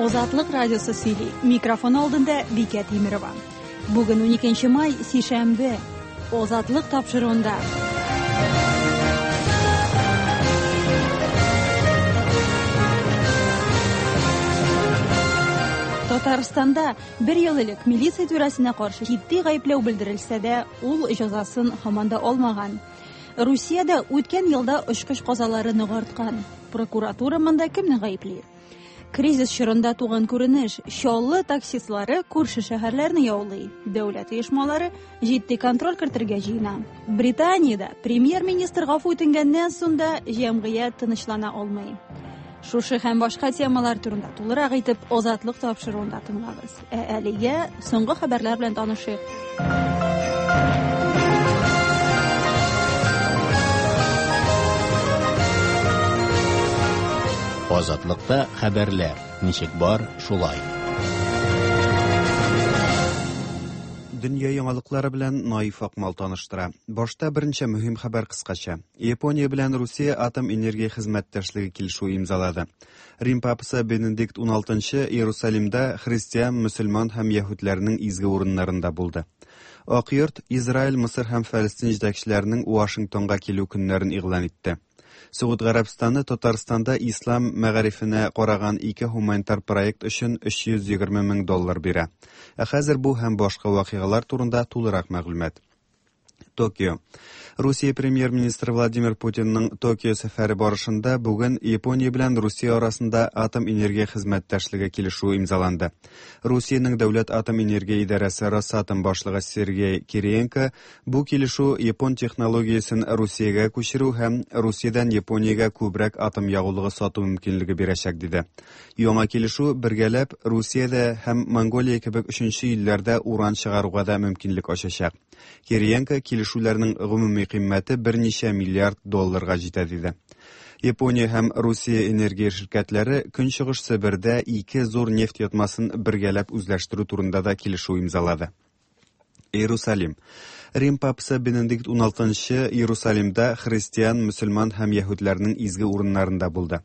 Азатлык радиосы сөйли. Микрофон алдында Бикә Тимерова. Бүген 12 май, сишәмбе. Азатлык тапшыруында. Татарстанда бер ел элек милиция түрәсенә каршы җитди гаепләү белдерелсә дә, ул җәзасын һаман да алмаган. Русиядә үткән елда очкыч казалары нык арткан. Прокуратура монда кемне гаепли? Кризис чорында туган күренеш. Чаллы таксистлары күрше шәһәрләрне яулый. Дәүләт оешмалары җитди контроль кертергә җыена. Британиядә премьер-министр гафу үтенгәннән соң да җәмгыять тынычлана алмый. Шушы һәм башка темалар турында тулырак итеп Азатлык тапшыруында тыңлагыз. Ә әлегә соңгы хәбәрләр белән танышыйк. Азатлыкта хәбәрләр ничек бар, шулай. Дөнья яңалыклары белән Наиф Акмал таныштыра. Башта берничә мөһим хәбәр кыскача. Япония белән Русия атом энергия хезмәттәшлеге килешүе имзалады. Рим папасы Бенедикт XVI Иерусалимда христиан, мөселман һәм яһүдләрнең изге урыннарында булды. Ак йорт Израиль, Мысыр һәм Фәлестин җитәкчеләренең Вашингтонга килү көннәрен игълан итте. Согуд Гарәбстаны Татарстанда ислам мәгарифенә караган ике һуманитар проект өчен 320 мең доллар бирә. Ә хәзер бу һәм башка вакыйгалар турында тулырак мәгълүмат. Токио. Русия премьер-министры Владимир Путинның Токио сәфәре барышында бүген Япония белән Русия арасында атом энергия хезмәттәшлеге килешүе имзаланды. Русиянең дәүләт атом энергия идарәсе Росатом башлыгы Сергей Кириенко бу килешү япон технологиясен Русиягә күчерү һәм Русиядән Япониягә күбрәк атом ягулыгы сату мөмкинлеге бирәчәк диде. Яңа килешү бергәләп Русиядә һәм Монголия кебек өченче илләрдә уран чыгаруга да мөмкинлек ачачак. Кириенко килешүләрнең гомуми кыйммәте берничә миллиард долларга җитә диде. Япония һәм Русия энергия ширкәтләре Көнчыгыш Себердә ике зур нефть ятмасын бергәләп үзләштерү турында да килешү имзалады. Иерусалим. Рим папасы Бенедикт XVI Иерусалимда христиан, мөселман һәм яһүдләрнең изге урыннарында булды.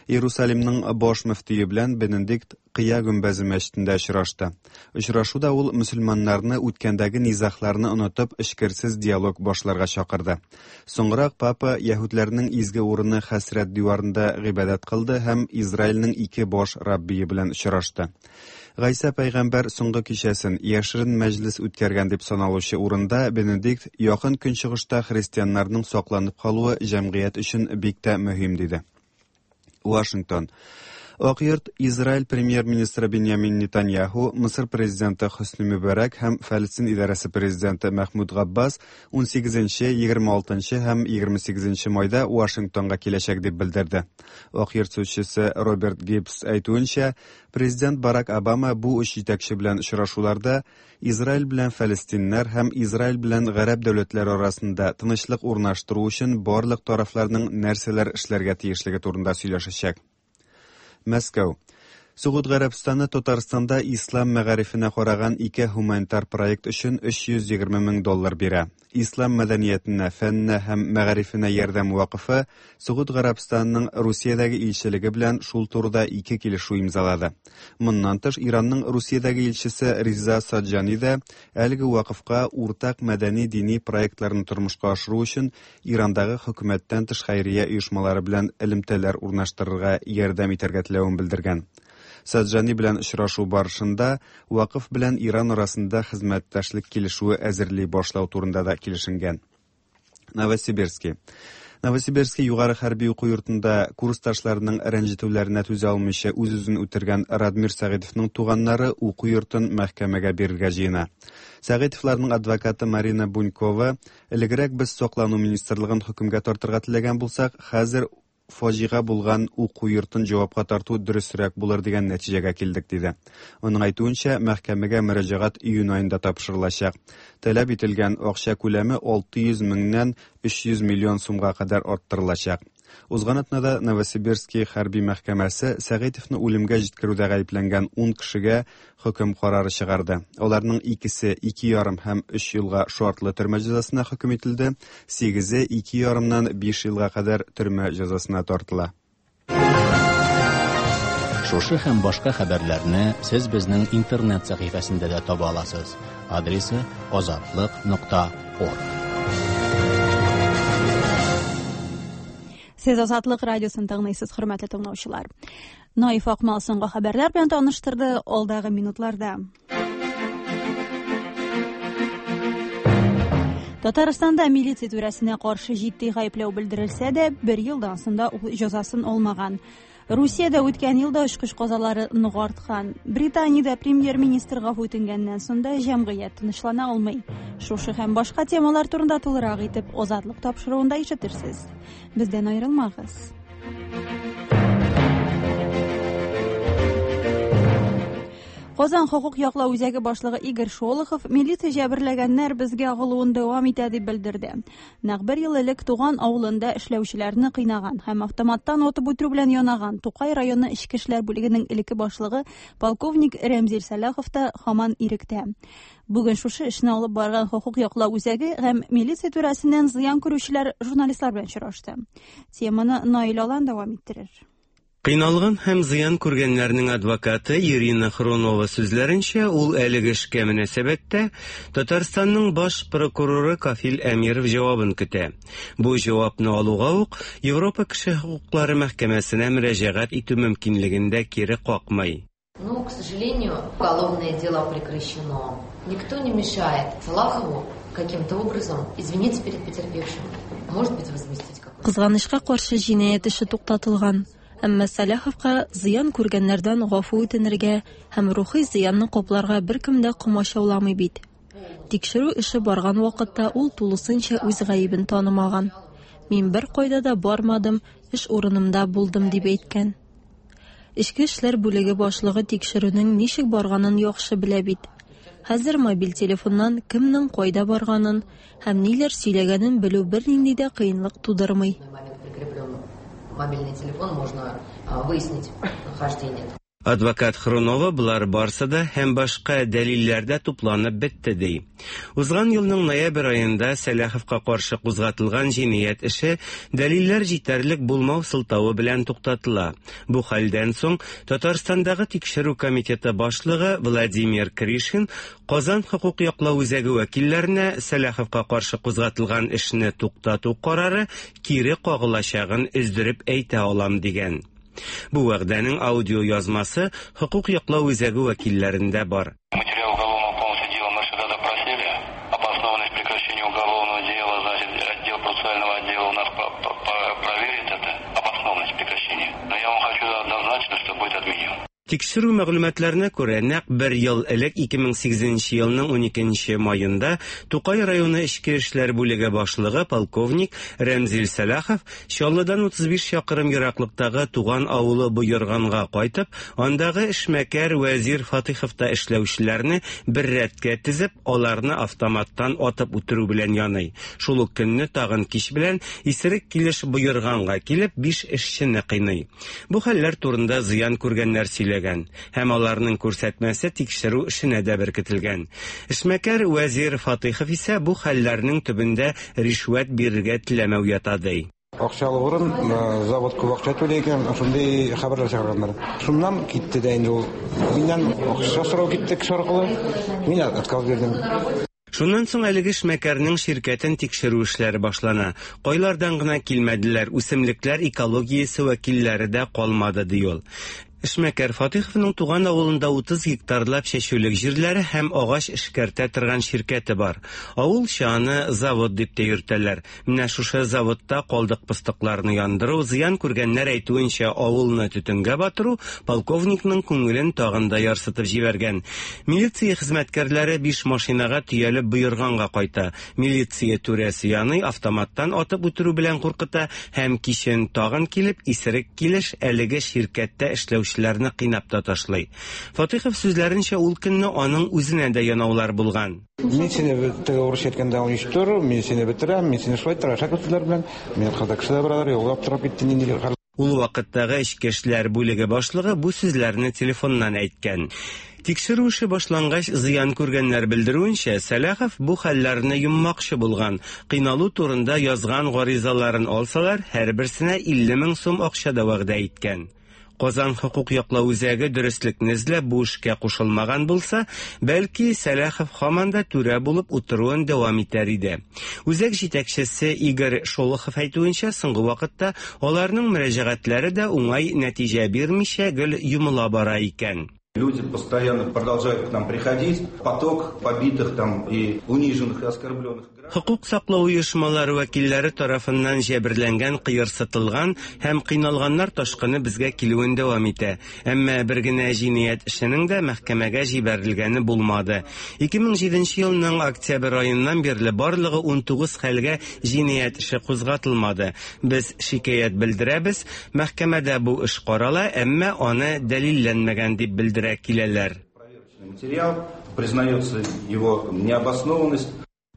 Иерусалимның баш мөфтие белән Бенедикт Кыя гөмбәзе мәчетендә очрашты. Очрашуда ул мөселманнарны үткәндәге низагларны онытып, эчкерсез диалог башларга чакырды. Соңрак папа яһүдләрнең изге урыны Хәсрәт диварында гыйбадәт кылды һәм Израильнең ике баш раббие белән очрашты. Гайсә пәйгамбәр соңгы кичәсен яшерен мәҗлес үткәргән дип саналучы урында Бенедикт якын көнчыгышта христианнарның сакланып калуы җәмгыять өчен бик тә мөһим диде. Вашингтон. Ак йорт Израиль премьер-министры Беньямин Нетаньяху, Мысыр президенты Хөсни Мөбарәк һәм Фәлестин идарәсе президенты Мәхмүд Габбас 18, 26 һәм 28 майда Вашингтонга киләчәк дип белдерде. Ак йорт сүзчесе Роберт Гибс әйтүенчә, президент Барак Обама бу өч җитәкче белән очрашуларда Израиль белән фәлестиннәр һәм Израиль белән гарәп дәүләтләре арасында тынычлык урнаштыру өчен барлык тарафларның нәрсәләр эшләргә тиешлеге турында сөйләшәчәк. Мәскәү. Согуд Гарәбстаны Татарстанда ислам мәгарифенә караган ике һуманитар проект өчен 320 мең доллар бирә. Ислам мәдәниятенә, фәненә һәм мәгарифенә ярдәм вакыфы Согуд Гарәбстанының Русиядәге илчелеге белән шул турыда ике килешү имзалады. Моннан тыш, Иранның Русиядәге илчесе Риза Саджани да әлеге вакыфка уртак мәдәни-дини проектларны тормышка ашыру өчен Ирандагы хөкүмәттән тыш хәйрия оешмалары белән элемтәләр урнаштырырга ярдәм итәргә теләвен белдергән. Саджани белән очрашу барышында Вакыф белән Иран арасында хезмәттәшлек килешүе әзерли башлау турында да килешенгән. Новосибирский. Новосибирский югары хәрби уку йортында курсташларының рәнҗетүләренә түзә алмыйча үз-үзен үтергән Радмир Сәгыйтовның туганнары уку йортын мәхкәмәгә бирергә җыена. Сәгыйтовларның адвокаты Марина Бунькова, элегрәк без саклану министрлыгын хөкемгә тартырга теләгән булсак, хәзер фаҗига булган уку йортын җавапка тарту дөресрәк булыр дигән нәтиҗәгә килдек, диде. Аның әйтүенчә, мәхкәмәгә мөрәҗәгать июнь аенда тапшырылачак. Таләп ителгән акча күләме 600 меңнән 300 миллион сумга кадәр арттырылачак. Узган атнада Новосибирский хәрби мәхкәмәсе Сәгыйтовны үлемгә җиткерүдә гаепләнгән 10 кешегә хөкем карары чыгарды. Аларның икесе 2,5 һәм 3 елга шартлы төрмә җәзасына хөкем ителде, сигезе 2,5-нан 5 елга кадәр төрмә җәзасына тартыла. Шушы һәм башка хәбәрләрне сез безнең интернет сәхифәсендә дә таба аласыз. Адресы azatliq.org. Сез Азатлык радиосын тыңлыйсыз, хөрмәтле тыңлаучылар. Наиф Акмал соңгы хәбәрләр белән таныштырды алдагы минутларда. Татарстанда милиция түрәсенә каршы җитди гаепләү белдерелсә дә, бер елдан соң да ул җәзасын алмаган. Русиядә үткән елда очкыч казалары нык арткан. Британиядә премьер-министр гафу үтенгәннән соң да җәмгыять тынычлана алмый. Шушы һәм башка темалар турында тулырак итеп Азатлык тапшыруында ишетерсез. Бездән аерылмагыз. Казан хокук яклау үзәге башлыгы Игорь Шолохов милиция җәберләгәннәр безгә агылуын дәвам итә дип белдерде. Нәкъ бер ел элек туган авылында эшләүчеләрне кыйнаган һәм автоматтан атып үтерү белән янаган Тукай районы эчке эшләр бүлегенең элекке башлыгы полковник Рәмзил Сәлахов та һаман иректә. Бүген шушы эшне алып барган хокук яклау үзәге һәм милиция түрәсеннән зыян күрүчеләр журналистлар белән очрашты. Теманы Наил Алан дәвам иттерер. Кыйналган һәм зыян күргәннәрнең адвокаты Ирина Хрунова сүзләренчә, ул әлеге эшкә мөнәсәбәттә Татарстанның баш прокуроры Кафил Әмиров җавабын көтә. Бу җавапны алуга ук Европа кеше хокуклары мәхкәмәсенә мөрәҗәгать итү мөмкинлеген дә кире какмый. Но, к сожалению, уголовное дело прекращено. Никто не мешает Салахову каким-то образом извиниться перед потерпевшим. Может быть, возместить какой-то. Кызганычка каршы җинаять эше туктатылган. Әмма Сәлаховка зыян күргәннәрдән гафу үтенергә һәм рухи зыянны капларга беркем дә комачауламый бит. Тикшерү эше барган вакытта ул тулысынча үз гаебен танымаган. Мин бер кайда да бармадым, эш урынымда булдым дип әйткән. Эчке эшләр бүлеге башлыгы тикшерүнең ничек барганын яхшы белә бит. Хәзер мобиль телефоннан кемнең кайда барганын һәм ниләр сөйләгәнен белү бернинди дә кыенлык тудырмый. Мобильный телефон можно выяснить нахождение. Адвокат Хрунова болар барсы да һәм башка дәлилләр дә тупланып бетте ди. Узган елның ноябрь аенда Сәлаховка каршы кузгатылган җинаять эше дәлилләр җитәрлек булмау сылтавы белән туктатыла. Бу хәлдән соң Татарстандагы тикшерү комитеты башлыгы Владимир Кришин Казан хокук яклау үзәге вәкилләренә Сәлаховка каршы кузгатылган эшне туктату карары кире кагылачагын өздереп әйтә алам дигән. Бу вәгъдәнең аудио язмасы хокук яклау үзәге вәкилләрендә бар. Материал уголовного полностью дела мы сюда запросили. Обоснованность прекращения уголовного дела, значит, отдел процессуального отдела у нас проверит это, обоснованность прекращения. Но я вам хочу однозначно, что будет отменен. Тикшерү мәгълүматларына күрә, нәкъ бер ел элек 2008 елның 12 маенда Тукай районы эчке эшләр бүлеге башлыгы полковник Рәмзил Сәлахов Чаллыдан 35 чакрым ераклыктагы туган авылы Боерганга кайтып, андагы эшмәкәр Вәзир Фатыйховта эшләүчеләрне бер рәткә тезеп, аларны автоматтан атып үтерү белән яный. Шул ук көнне тагын кич белән исерек килеш Боерганга килеп 5 эшчене кыйный. Бу хәлләр турында зыян күргәннәр сөйләгән һәм аларның күрсәтмәсе тикшерү эшенә дә беркетелгән. Эшмәкәр Вәзир Фатыйхов исә бу хәлләрнең төбендә ришвәт бирергә теләмәү ята ди. Акчалы урын, завод күп акча түли икән, шундый хәбәрләр чыгарганнар. Шуннан китте дә инде ул. Миннән акча сорау китте кеше аркылы. Мин отказ бирдем. Шуннан соң әлеге эшмәкәрнең ширкәтен тикшерү эшләре башлана. Кайлардан гына килмәделәр, үсемлекләр экологиясе вәкилләре дә калмады ди ул. Эшмәкәр Фатыйховның туган авылында 30 гектарлап чәчүлек җирләре һәм агач эшкәртә торган ширкәте бар. Авылча аны завод дип тә йөртәләр. Менә шушы заводта калдык пыстыкларны яндыру, зыян күргәннәр әйтүенчә авылны төтенгә батыру полковникның күңелен тагын да ярсытып җибәргән. Милиция хезмәткәрләре 5 машинага төялеп Боерганга кайта. Милиция түрәсе яный автоматтан атып үтерү белән куркыта һәм кичен тагын килеп исерек килеш әлеге ширкәттә эшләүчеләрне кыйнап та ташлый. Фатыйхов сүзләренчә, ул көнне аның үзенә дә янаулар булган. Мин сине теге урысча әйткәндә уничтожу, мин сине бетерәм, мин сине шулай иттерәм, шәкерт сүзләр белән. Мин кызда кеше дә баралар, юлга торып китте, нинди хәл. Ул вакыттагы эчке эшләр бүлеге башлыгы бу сүзләрне телефоннан әйткән. Тикшерү эше башлангач, зыян күргәннәр белдерүенчә, Сәлахов бу хәлләрне йоммакчы булган. Кыйналу турында язган гаризаларын алсалар, һәрберсенә 50 мең сум акча да вәгъдә иткән. Казан хокук яклау үзәге дөреслекне эзләп бу эшкә кушылмаган булса, бәлки Сәлахов һаман да түрә булып утыруын дәвам итәр иде. Үзәк җитәкчесе Игорь Шолохов әйтүенчә, соңгы вакытта аларның мөрәҗәгатьләре дә уңай нәтиҗә бирмичә гел йомыла бара икән. Люди постоянно продолжают к нам приходить. Поток побитых там и униженных и оскорбленных. Хокук саклау оешмалары вәкилләре тарафыннан җәберләнгән, кыерсытылган һәм кыйналганнар ташкыны безгә килүен дәвам итә. Әмма бер генә җинаять эшенең дә мәхкәмәгә җибәрелгәне булмады. 2007 елның октябрь аеннан бирле барлыгы 19 хәлгә җинаять эше кузгатылмады. Без шикаять белдерәбез, мәхкәмәдә бу эш карала, әмма аны дәлилләнмәгән дип белдерә киләләр. Материал, признается его необоснованность.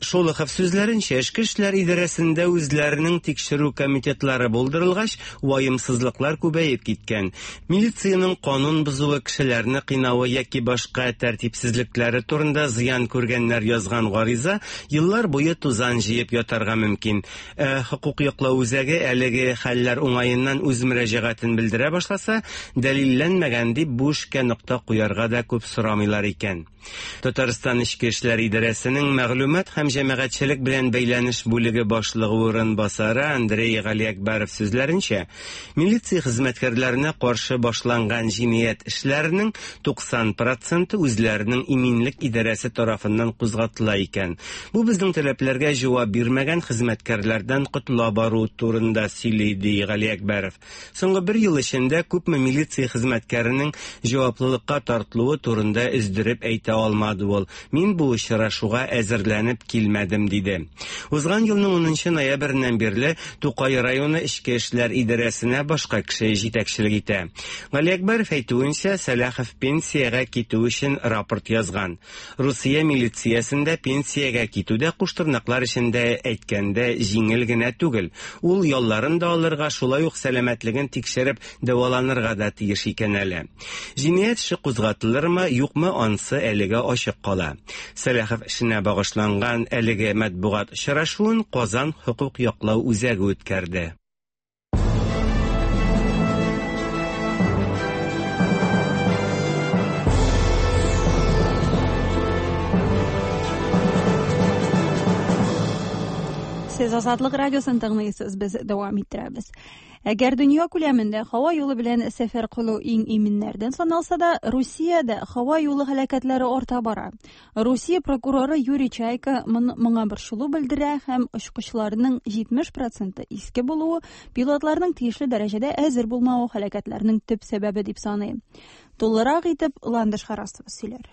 Шолохов сүзләренчә, эчке эшләр идарәсендә үзләренең тикшерү комитетлары булдырылгач, ваемсызлыклар күбәеп киткән. Милициянең канун бозуы, кешеләрне кыйнавы яки башка тәртипсезлекләре турында зыян күргәннәр язган гариза еллар буе тузан җыеп ятарга мөмкин. Ә хокук яклау үзәге әлеге хәлләр уңаеннан үз мөрәҗәгатен белдерә башласа, дәлилләнмәгән дип бу эшкә нокта куярга да күп сорамыйлар икән. Татарстан Эчке эшләр идарәсенең мәгълүмат һәм җәмәгатьчелек белән бәйләнеш бүлеге башлыгы урынбасары Андрей Галиәкбәров сүзләренчә, милиция хезмәткәрләренә каршы башланган җинаять эшләренең 90 проценты үзләренең иминлек идарәсе тарафыннан кузгатыла икән. Бу безнең таләпләргә җавап бирмәгән хезмәткәрләрдән котыла бару турында сөйли, ди Галиәкбәров. Соңгы бер ел эчендә күпме милиция хезмәткәренең җаваплылыкка тартылуы турында өздереп әйтә алмады ул. Мин бу очрашуга әзерләнеп килмәдем, диде. Узган елның 10 ноябреннән бирле Тукай районы эчке эшләр идарәсенә башка кеше җитәкчелек итә. Галиәкбәров әйтүенчә, Сәлахов пенсиягә китү өчен рапорт язган. Русия милициясендә пенсиягә китү дә куштырнаклар эчендә әйткәндә җиңел генә түгел. Ул ялларын да алырга, шулай ук сәламәтлеген тикшереп дәваланырга да тиеш икән әле. Җинаять эше кузгатылырмы, юкмы, ансы әлегә ачык кала. Сәлахов эшенә багышланган әлеге матбугат очрашуын Казан хокук яклау үзәге үткәрде. Сез Азатлык радиосын тыңлыйсыз, без дәвам иттерәбез. Әгәр дөнья күләмендә һава юлы белән сәфәр кылу иң иминнәрдән саналса да, Русиядә һава юлы һәлакәтләре арта бара. Русия прокуроры Юрий Чайка моңа борчылу белдерә һәм очкычларның 70 проценты иске булуы, пилотларның тиешле дәрәҗәдә әзер булмавы һәлакәтләрнең төп сәбәбе дип саный. Тулырак итеп Ландыш Харасова сөйләр.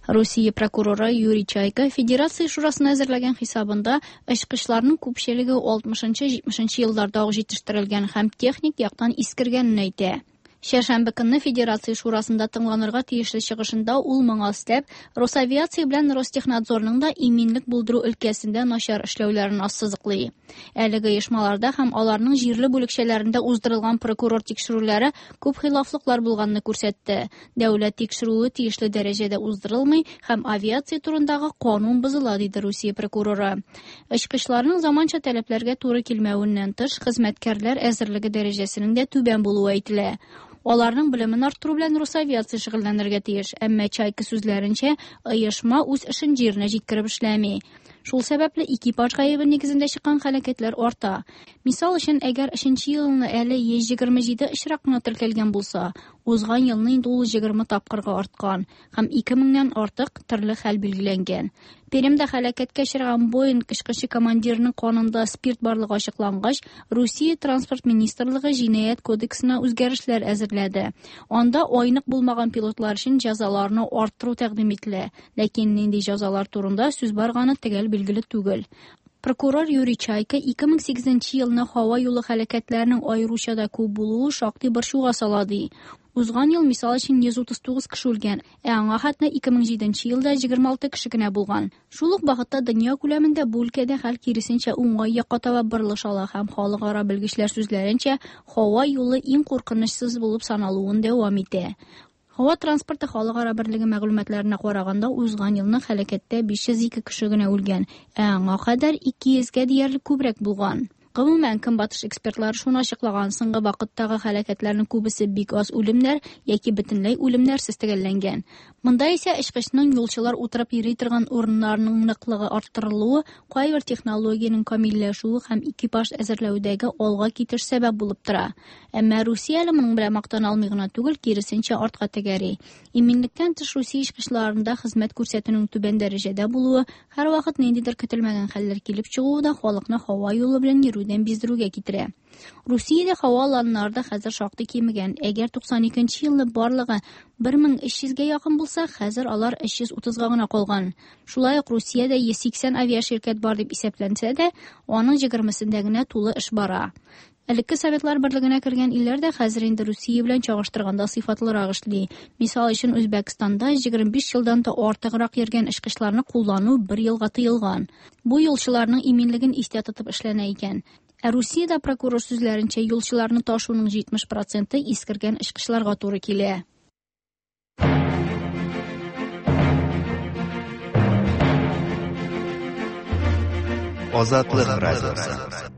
Русия прокуроры Юрий Чайка Федерация шурасына әзерләгән хисабында очкычларның күпчелеге 60-70 елларда ук җитештерелгән һәм техник яктан искергәнен әйтә. Чәршәмбе көнне Федерация шурасында тыңланырга тиешле чыгышында ул моңа өстәп, Росавиация белән Ростехнадзорның да иминлек булдыру өлкәсендә начар эшләүләрен ассызыклый. Әлеге оешмаларда һәм аларның җирле бүлекчәләрендә уздырылган прокурор тикшерүләре күп хилафлыклар булганны күрсәтте. Дәүләт тикшерүе тиешле дәрәҗәдә уздырылмый һәм авиация турындагы канун бозыла, диде Русия прокуроры. Очкычларның заманча таләпләргә туры килмәвеннән тыш, хезмәткәрләр әзерлеге дәрәҗәсенең дә түбән булуы әйтелә. Аларның белемен арттыру белән Росавиация шөгыльләнергә тиеш, әмма Чайка сүзләренчә, оешма үз эшен җиренә җиткереп эшләми. Шул сәбәпле экипаж гаебе нигезендә чыккан һәлакәтләр арта. Мисал өчен, әгәр 3 елны әле 127 очрак кына теркәлгән булса, узган елны инде ул 20 тапкырга арткан һәм 2000-нән артык төрле хәл билгеләнгән. Пермьдә һәлакәткә очраган Боинг очкычы командирының канында спирт барлыгы ачыклангач, Русия транспорт министрлыгы җинаять кодексына үзгәрешләр әзерләде. Анда айнык булмаган пилотлар өчен җәзаларны арттыру тәкъдим ителә, ләкин нинди җәзалар турында сүз барганы төгәл билгеле түгел. Прокурор Юрий Чайка 2008 елны һава юлы һәлакәтләренең аеруча да күп булуы шактый борчуга сала ди. Узган ел, мисал өчен, 139 кеше үлгән, ә аңа хәтле 2007 елда 26 кеше генә булган. Шул ук вакытта дөнья күләмендә бу өлкәдә хәл киресенчә уңай якка таба борылыш ала һәм халыкара белгечләр сүзләренчә, һава юлы иң куркынычсыз булып саналуын дәвам итә. Һава транспорты халыкара берлеге мәгълүматларына караганда, узган елны һәлакәттә 502 кеше генә үлгән, ә аңа кадәр 200гә диярлек күбрәк булган. Гомумән, көнбатыш экспертлары шуны ачыклаган, соңгы вакыттагы һәлакәтләрнең күбесе бик аз үлемнәр яки бөтенләй үлемнәрсез төгәлләнгән. Монда исә очкычның юлчылар утырып йөри торган урыннарының ныклыгы арттырылуы, кайбер технологиянең камилләшүе һәм экипаж әзерләүдәге алга китеш сәбәп булып тора. Әмма Русия әле моның белән мактана алмый гына түгел, киресенчә артка тәгәри. Иминлектән тыш Русия очкычларында хезмәт күрсәтүнең түбән дәрәҗәдә булуы, һәрвакыт ниндидер көтелмәгән хәлләр килеп чыгуы да халыкны һава юлы белән йөрүдән биздерүгә китерә. Русиядә һава аланнары да хәзер шактый кимегән. Әгәр 92 елны барлыгы 1300гә якын булса, хәзер алар 330га гына калган. Шулай ук Русиядә 180 авиаширкәт бар дип исәпләнсә дә, аның 20сендә генә тулы эш бара. Элекке Советлар берлегенә кергән илләр дә хәзер инде Русия белән чагыштырганда сыйфатлырак эшли. Мисал өчен, Үзбәкстанда 25 елдан да артыграк йөргән очкычларны куллану бер елга тыелган. Бу юлчыларның иминлеген истә тотып эшләнә икән. Ә Русиядә прокурор сүзләренчә, юлчыларны ташуның 70 проценты искергән очкычларга туры килә. Азатлык радиосы.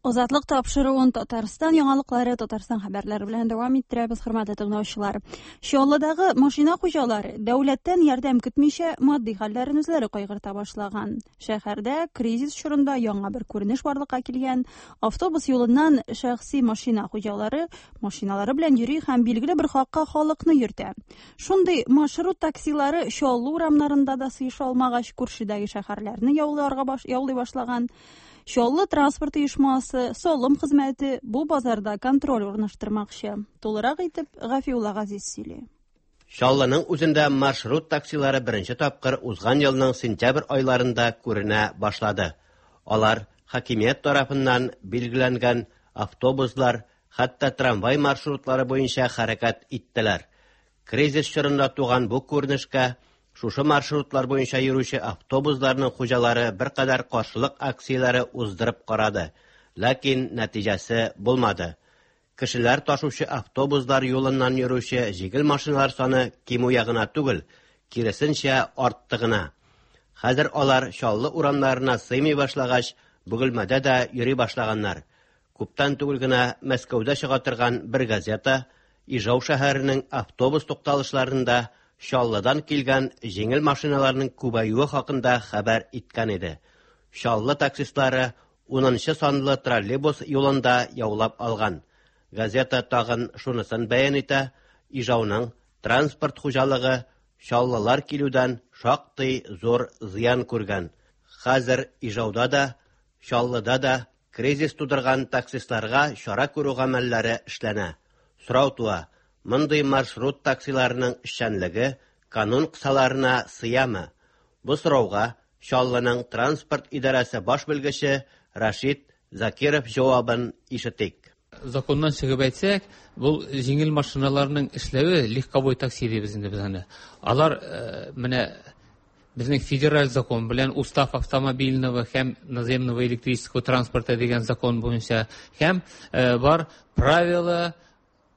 Азатлык тапшыруын Татарстан яңалыклары, Татарстан хәбәрләре белән дәвам иттерәбез, хөрмәтле тыңлаучылар. Чаллыдагы машина хуҗалары дәүләттән ярдәм көтмичә матди хәлләрен үзләре кайгырта башлаган. Шәһәрдә кризис чорында яңа бер күренеш барлыкка килгән. Автобус юлыннан шәхси машина хуҗалары машиналары белән йөри һәм билгеле бер хакка халыкны йөртә. Шундый маршрут таксилары Чаллы урамнарында да сыеша алмагач, күршедәге шәһәрләрне яулый башлаган. Чаллы транспорт оешмасы, салым хезмәте бу базарда контроль урнаштырмакчы. Тулырак итеп Гафиулла Газиз сөйли. Чаллының үзендә маршрут таксилары беренче тапкыр узган елның сентябрь айларында күренә башлады. Алар хакимият тарафыннан билгеләнгән автобуслар, хәтта трамвай маршрутлары буенча хәрәкәт иттеләр. Кризис чорында туган бу күренешкә шушы маршрутлар буенча йөрүче автобусларның хуҗалары беркадәр каршылык акцияләре уздырып карады, ләкин нәтиҗәсе булмады. Кешеләр ташучы автобуслар юлыннан йөрүче җиңел машиналар саны кимү ягына түгел, киресенчә артты гына. Хәзер алар Чаллы урамнарына сыймый башлагач, Бөгелмәдә дә йөри башлаганнар. Күптән түгел генә Мәскәүдә чыга торган бер газета Ижау шәһәренең автобус тукталышларында Чаллыдан килгән җиңел машиналарның күбәюе хакында хәбәр иткән иде. Чаллы таксистлары 10 санлы троллейбус юлында яулап алган. Газета тагын шунысын бәян итә, Ижауның транспорт хуҗалыгы Чаллылар килүдән шактый зур зыян күргән. Хәзер Ижауда да, Чаллыда да кризис тудырган таксистларга чара күрү гамәлләре эшләнә. Сорау туа, мондый маршрут таксиларының эшчәнлеге канун кысаларына сыямы? Бу сорауга Чаллының транспорт идарәсе баш белгече Рашид Закиров җавабын ишетик. Законнан чыгып әйтсәк, бу җиңел машиналарның эшләве легковой такси дибез инде без аны. Алар менә безнең федераль закон белән устав автомобильного һәм наземного электрического транспорта дигән закон буенча һәм бар правила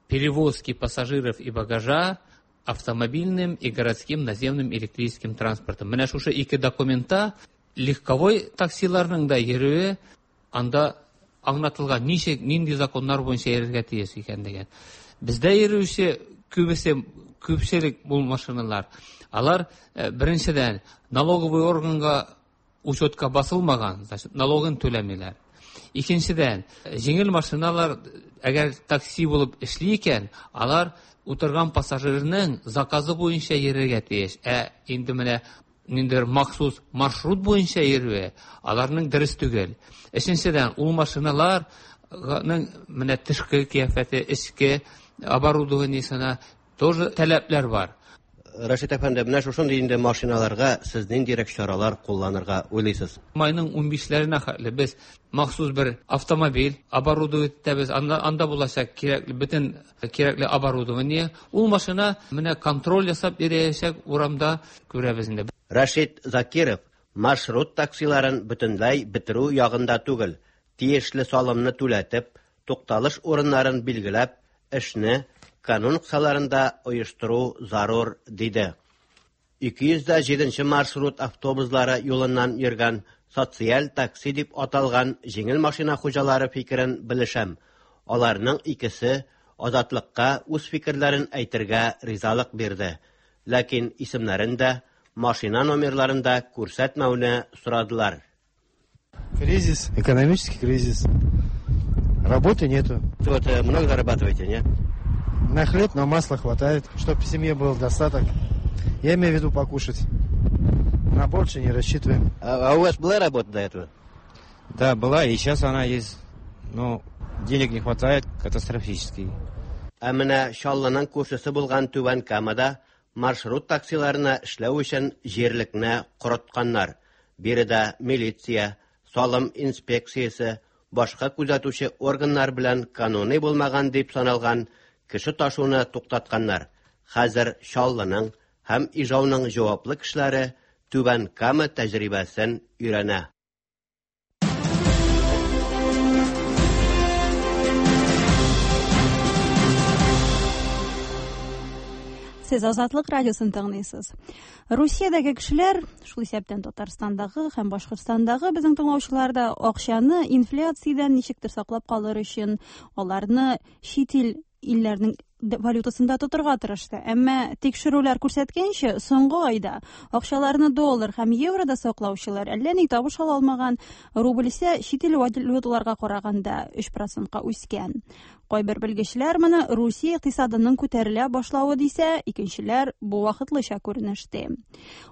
перевозки пассажиров и багажа автомобильным и городским наземным электрическим транспортом. Менә шушы ике документта легковой таксиларның да йөрүе анда аңлатылган, ничек, нинди законнар буенча йөрергә тиеш икән дигән. Бездә йөрүче күбесе, күпчелек бу машиналар, алар беренчедән налоговый органга учетка басылмаган, значит, налогын түләмиләр. Икенчедән, җиңел машиналар әгәр такси булып эшли икән, алар утырган пассажирның заказы буенча йөрергә тиеш. Ә инде менә ниндидер махсус маршрут буенча йөрүе аларның дөрес түгел. Өченчедән, ул машиналарның менә тышкы кыяфәте, эчке оборудованиесына тоже таләпләр бар. Рашид әфәнде, менә шушындый инде машиналарга сез ниндирәк чаралар кулланырга уйлыйсыз? Майның 15-ләренә хәтле без махсус бер автомобиль оборудовать итәбез. Анда булачак кирәкле бөтен кирәкле оборудование. Ул машина менә контроль ясап йөрәчәк урамда, күрәбез инде. Рашид Закиров маршрут таксиларын бөтенләй бетерү ягында түгел, тиешле салымны түләтеп, тукталыш урыннарын билгеләп, эшне канун кысаларында оештыру зарур, диде. 207 маршрут автобуслары юлыннан йөргән социаль такси дип аталган җиңел машина хуҗалары фикерен белешәм. Аларның икесе Азатлыкка үз фикерләрен әйтергә ризалык бирде. Ләкин исемнәрен дә, машина номерларын да күрсәтмәүне сорадылар. Кризис, экономический кризис. Работы нету. Вот много зарабатываете, нет? На хлеб, на масло хватает, чтобы в семье был достаток. Я имею в виду покушать. На больше не рассчитываем. А у вас была работа до этого? Да, была, и сейчас она есть. Но денег не хватает катастрофически. Ә менә Чаллының күршесе булган Түбән Камада маршрут таксиларына эшләү өчен җирлекне корытканнар. Биредә милиция, салым инспекциясе, башка күзәтүче органнар белән кануни булмаган дип саналган кеше ташуны туктатканнар. Хәзер Чаллының һәм Ижауның җаваплы кешеләре Түбән Кама тәҗрибәсен өйрәнә. Сез Азатлык радиосын тыңлыйсыз. Русиядәге кешеләр, шул исәптән Татарстандагы һәм Башкортстандагы безнең тыңлаучылар да акчаны инфляциядән ничектер саклап калыр өчен аларны чит ил илләрнең валютасында тотырга тырышты. Әмма тикшерүләр күрсәткәнчә, соңгы айда акчаларны доллар һәм еврода саклаучылар әллә ни табыш ала алмаган, рубль исә чит ил валюталарга караганда 3%-ка үскән. Кайбер белгечләр моны Русия икътисадының күтәрелә башлавы дисә, икенчеләр бу вакытлыча күренеш ди.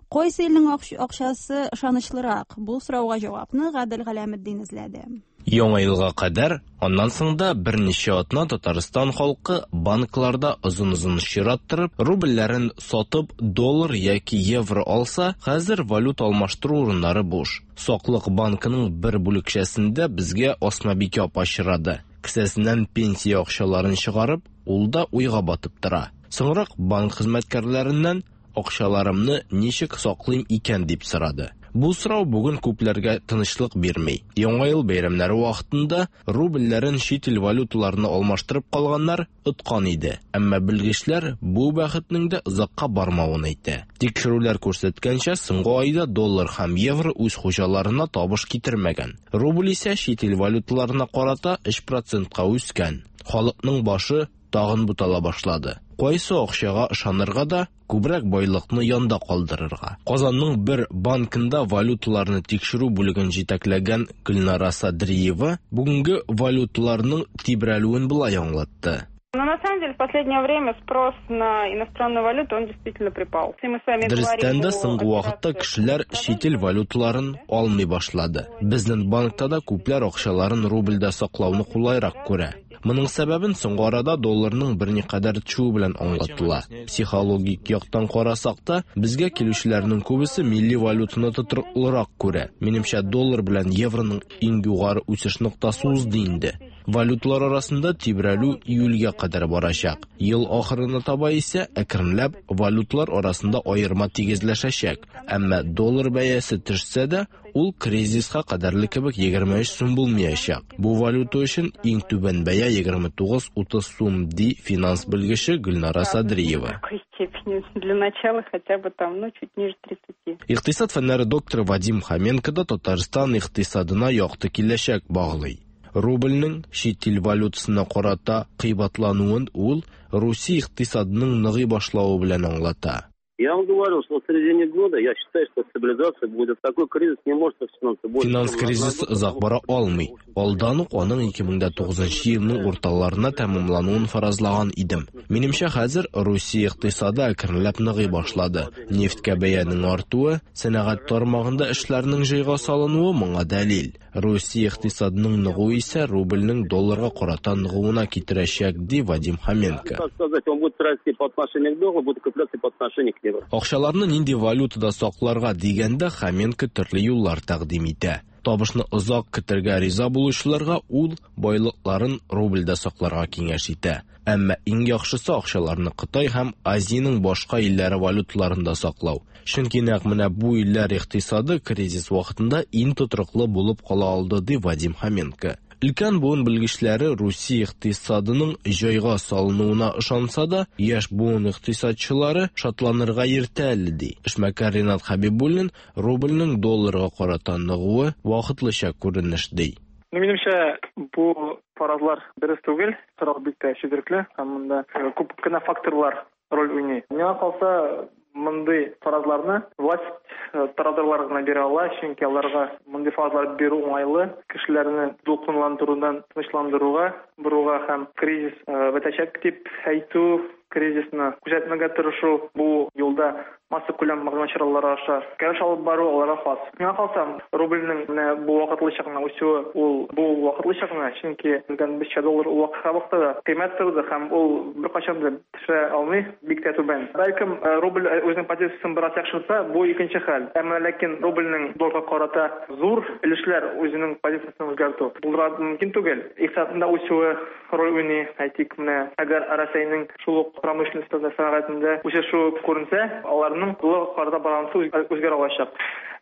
Кайсы илнең акчасы ышанычлырак? Бу сорауга җавапны Гадел Галәметдин эзләде. Яңа елга кадәр, аннан соң да берничә атна Татарстан халкы банкларда озын-озын чират торып, рубльләрен сатып, доллар яки евро алса, хәзер валюта алмаштыру урыннары буш. Саклык банкының бер бүлекчәсендә безгә Асмабикә апа очрады. Кесәсеннән пенсия акчаларын чыгарып, ул да уйга батып тора. Соңрак банк хезмәткәрләреннән акчаларымны ничек саклыйм икән дип сорады. Бу сорау бүген күпләргә тынычлык бирми. Яңа ел бәйрәмнәре вакытында рубльләрен чит ил валюталарына алмаштырып калганнар откан иде. Әмма белгечләр бу бәхетнең дә озакка бармавын әйтә. Тикшерүләр күрсәткәнчә, соңгы айда доллар һәм евро үз хуҗаларына табыш китермәгән. Рубль исә чит ил валюталарына карата 3%-ка үскән. Халыкның башы тагын бутала башлады. Кайсы акчага ышанырга да, күбрәк байлыкны янда калдырырга. Казанның бер банкында валюталарны тикшерү бүлеген җитәкләгән Гөлнара Садриева бүгенге валюталарның тибрәлүен болай аңлатты. Но на самом деле в последнее время спрос на иностранную валюту, он действительно припал. Если мы с вами Дөрестән дә говорим о соңгы вакытта кешеләр чит ил валюталарын алмый башлады. Безнең банкта да күпләр акчаларын рубльдә саклауны кулайрак күрә. Моның сәбәбен соңгы арада долларның берникадәр төшүе белән аңлатыла. Психологик яктан карасак та, безгә килүчеләрнең күбесе милли валютаны тотрыклырак күрә. Минемчә, доллар белән евроның иң югары үсеш ноктасы узды инде. Валюталар арасында тибрәлү июльгә кадәр барачак. Ел ахырына таба исә әкренләп валюталар арасында аерма тигезләшәчәк. Әмма доллар бәясе төшсә дә, ул кризиска кадәрле кебек 23 сум булмаячак. Бу валюта өчен иң түбән бәя 29,30 сум, ди финанс белгече Гөлнара Садриева. В какой степени для начала хотя бы там, ну, чуть ниже 30. Икътисад фәннәре докторы Вадим Хоменко да Татарстан икътисадына якты киләчәк баглый. Рубльнең чит ил валютасына карата кыйбатлануын ул Русия икътисадының ныгый башлавы белән аңлата. Я вам говорил, что в середине года я считаю, что стабилизация будет. Такой кризис не может растянуться больше. Финанс чем на кризисы год. озак бара алмый. Алдан ук аның 2009 елның урталарына тәмамлануын фаразлаган идем. Минемчә, хәзер Русия икътисады әкренләп ныгый башлады. Нефтькә бәянең артуы, сәнәгать тармагында эшләрнең җайга салынуы моңа дәлил. Русия икътисадының ныгуы исә рубльнең долларга карата ныгуына китерәчәк, ди Вадим Хоменко. Так сказать, он будет расти по отношению к доллару, будет укрепляться по отношению к евро. Акчаларны нинди валютада сакларга дигәндә Хоменко төрле юллар тәкъдим итә. Табышны озак көтәргә риза булучыларга ул байлыкларын рубльдә сакларга киңәш итә. Әмма иң яхшысы акчаларны Кытай һәм Азиянең башка илләре валюталарында саклау. Чөнки нәкъ менә бу илләр икътисады кризис вакытында иң тотрыклы булып кала алды, ди Вадим Хоменко. Өлкән буын белгечләре Русия икътисадының җайга салынуына ышанса да, яшь буын икътисадчылары шатланырга иртә әле ди. Эшмәкәр Ринат Хәбибуллин рубльнең долларга карата ныгуы вакытлыча күренеш ди. Ну, минемчә, бу фаразлар дөрес түгел. Сорау бик тә четерекле һәм монда күп кенә факторлар роль уйный. Миңа калса, мондый фаразларны власть тарафдарлары гына бирә ала, чөнки аларга мондый фаразлар бирү уңайлы, кешеләрне дулкынландырудан тынычландыруга боруга һәм кризис бетәчәк дип әйтү, кризисны күзәтмәгә тырышу, бу юлда массакүләм мәгълүмат чаралары аша көрәш алып бару аларга хас. Миңа калса, рубльнең менә бу вакытлыча гына үсүе, ул бу вакытлыча гына, чөнки белгәнебезчә, доллар ул вакытта да кыйммәт торды һәм ул беркайчан да төшә алмый, бик тә түбән. Бәлкем, рубль үзенең позициясен бераз яхшыртса, бу икенче хәл. Әмма ләкин рубльнең долларга карата зур өлешләр үзенең позициясен үзгәртү булдыра мөмкин түгел. Икътисадның да үсүе роль уйный. Әйтик, менә әгәр Рәсәйнең шул ук промышленностьта, сәнәгатендә үсешү күренсә, аларның долларга карата балансы үзгәрә алачак.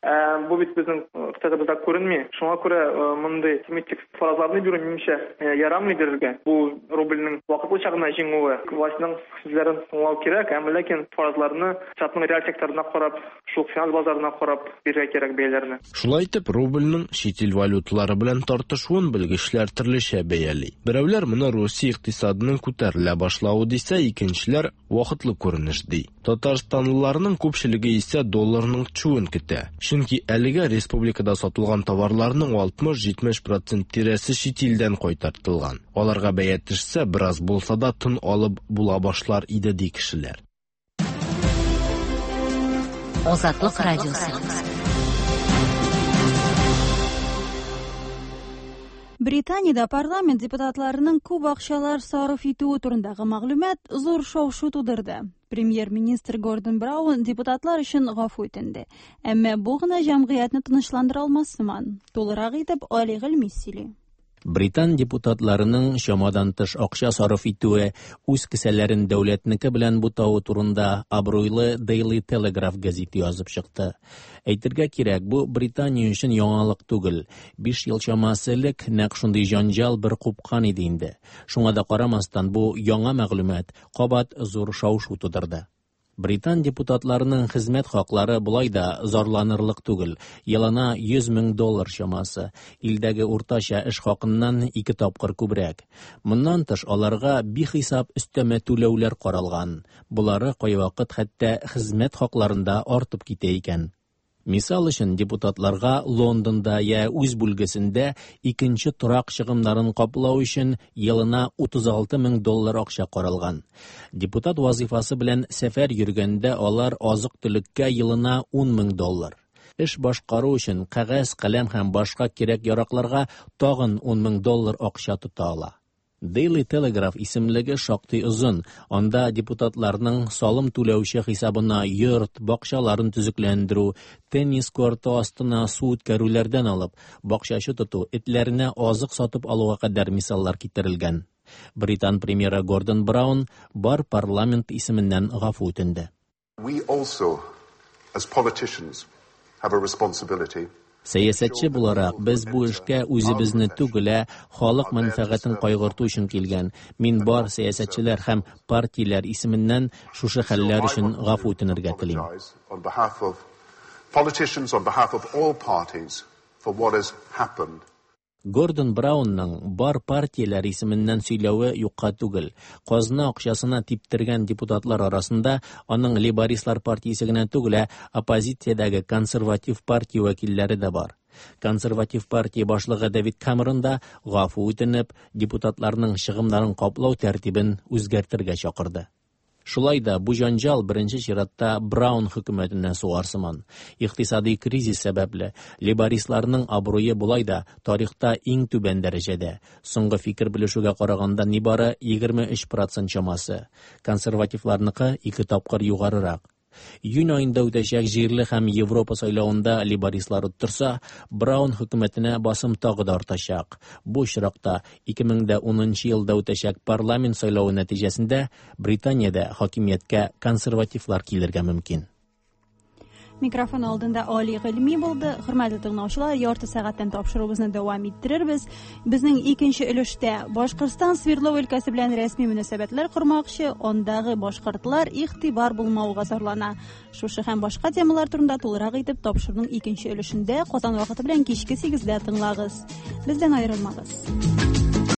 Ә бу бит безнең икътисадыбызда күренми. Шуңа күрә мондый оптимистик фаразларны бирү, минемчә, ярамый бирергә. Бу рубльнең вакытлыча гына җиңүе. Властьның сүзләрен тыңлау кирәк, әмма ләкин фаразларны икътисадның реаль секторына карап, шул ук финанс базарына карап бирергә кирәк бәяләрне. Шулай итеп, рубльнең чит ил валюталары белән тартышуын белгечләр төрлечә бәяли. Берәүләр моны Русия икътисадының күтәрелә башлавы дисә, икенчеләр вакытлы күренеш ди. Татарстанлыларның күпчелеге исә долларның төшүен көтә. Чөнки әлегә республикада сатылган товарларның 60-70 процент тирәсе чит илдән кайтартылган. Аларга бәя төшсә, бераз булса да тын алып була башлар иде ди кешеләр. Азатлык радиосы. Британиядә парламент депутатларының күп акчалар сарыф итүе турындагы мәгълүмат зур шау-шу тудырды. Премьер-министр Гордон Браун депутатлар өчен гафу үтенде. Әмма бу гына җәмгыятьне тынычландыра алмас сыман. Тулырак итеп Али Гыйльми сөйли. Британ депутатларының чамадан тыш акча сарыф итүе, үз кесәләрен дәүләтнеке белән бутавы турында абруйлы Daily Telegraph гәзите язып чыкты. Әйтергә кирәк, бу Британия өчен яңалык түгел. 5 ел чамасы элек нәкъ шундый җанҗал бер купкан иде инде. Шуңа да карамастан, бу яңа мәгълүмат кабат зур шау-шу тудырды. Британ депутатларының хезмәт хаклары болай да зарланырлык түгел, елына 100 мең доллар чамасы, илдәге уртача эш хакыннан ике тапкыр күбрәк. Моннан тыш, аларга бихисап өстәмә түләүләр каралган, болары кайвакыт хәтта хезмәт хакларында артып китә икән. Мисал өчен, депутатларга Лондонда я үз бүлгесендә икенче торак чыгымнарын каплау өчен елына 36 мең доллар акча каралган. Депутат вазыйфасы белән сәфәр йөргәндә алар азык-төлеккә елына 10 мең доллар. Эш башкару өчен кәгазь, каләм һәм башка кирәк-яракларга тагын 10 мең доллар акча тота ала. Daily Telegraph исемлеге шактый озын, анда депутатларның салым түләүче хисабына йорт, бакчаларын төзекләндерү, теннис корты астына су үткәрүләрдән алып, бакчачы тоту, этләренә азык сатып алуга кадәр мисаллар китерелгән. Британ премьеры Гордон Браун бар парламент исеменнән гафу үтенде. We also, as politicians, have a responsibility. Сәясәтче буларак, без бу эшкә үзебезне түгел, ә халык мәнфәгатен кайгырту өчен килгән. Мин бар сәясәтчеләр һәм партияләр исеменнән шушы хәлләр өчен гафу үтенергә телим. On behalf of politicians, on behalf of all parties, for what has happened. Гордон Браунның бар партияләр исеменнән сөйләве юкка түгел. Казна акчасына типтергән депутатлар арасында аның лейбористлар партиясе генә түгел, ә оппозициядәге консерватив партия вәкилләре дә бар. Консерватив партия башлыгы Дэвид Камерон да гафу үтенеп, депутатларның чыгымнарын каплау тәртибен үзгәртергә чакырды. Шулай да бу җанҗал беренче чиратта Браун хөкүмәтенә сугар сыман. Икътисади кризис сәбәпле, лейбористларның абруе болай да тарихта иң түбән дәрәҗәдә. Соңгы фикер белешүгә караганда нибары 23 процент чамасы. Консервативларныкы ике тапкыр югарырак. Июнь аенда үтәчәк җирле һәм Европа сайлавында лейбористлар оттырса, Браун хөкүмәтенә басым тагы да артачак. Бу очракта 2010 елда үтәчәк парламент сайлавы нәтиҗәсендә Британиядә хакимияткә консервативлар килергә мөмкин. Микрофон алдында Али Гыйльми булды. Хөрмәтле тыңлаучылар, ярты сәгатьтән тапшыруыбызны дәвам иттерербез. Безнең икенче өлештә Башкортстан Свердлов өлкәсе белән рәсми мөнәсәбәтләр кормакчы, андагы башкортлар игътибар булмауга зарлана. Шушы һәм башка темалар турында тулырак итеп тапшыруның икенче өлешендә Казан вакыты белән кичке 8-дә тыңлагыз. Бездән аерылмагыз.